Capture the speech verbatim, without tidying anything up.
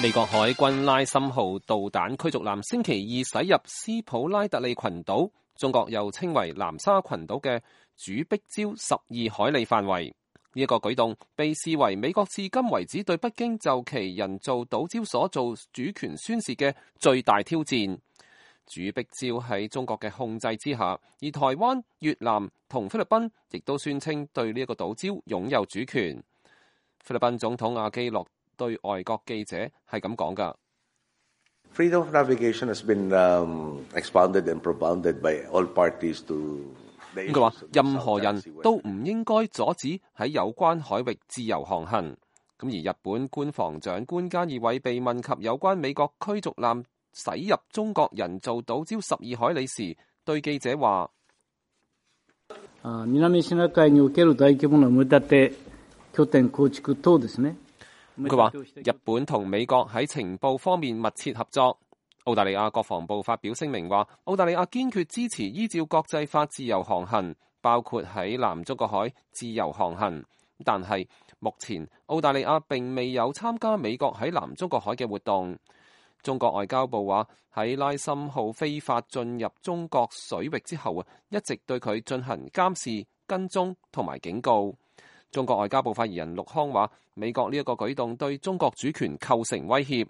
美國海軍拉森號導彈驅逐艦星期二駛入斯普拉特利群島，中國又稱為南沙群島嘅主壁礁十二海里範圍。呢一個舉動被視為美國至今為止對北京就其人造島礁所做主權宣示嘅最大挑戰。主壁礁喺中國嘅控制之下，而台灣、越南同菲律賓亦都宣稱對呢一個島礁擁有主權。菲律賓總統阿基諾對外國記者係咁講㗎。Freedom of navigation has been um, expounded and propounded by all parties to the issues. 佢話任何人都唔應該阻止喺有關海域自由航行。咁而日本官房長官菅義偉被問及有關美國驅逐艦駛入中國人造島礁十二海里時，對記者話：南シナ海における大規模な埋め立て拠點構築等ですね。佢話日本同美國喺情報方面密切合作。澳大利亞國防部發表聲明話，澳大利亞堅決支持依照國際法自由航行，包括喺南中國海自由航行。但係目前澳大利亞並未有參加美國喺南中國海嘅活動。中國外交部話喺拉森號非法進入中國水域之後啊，一直對佢進行監視、跟蹤同埋警告。中國外交部發言人陸康話，美國呢一個舉動對中國主權構成威脅。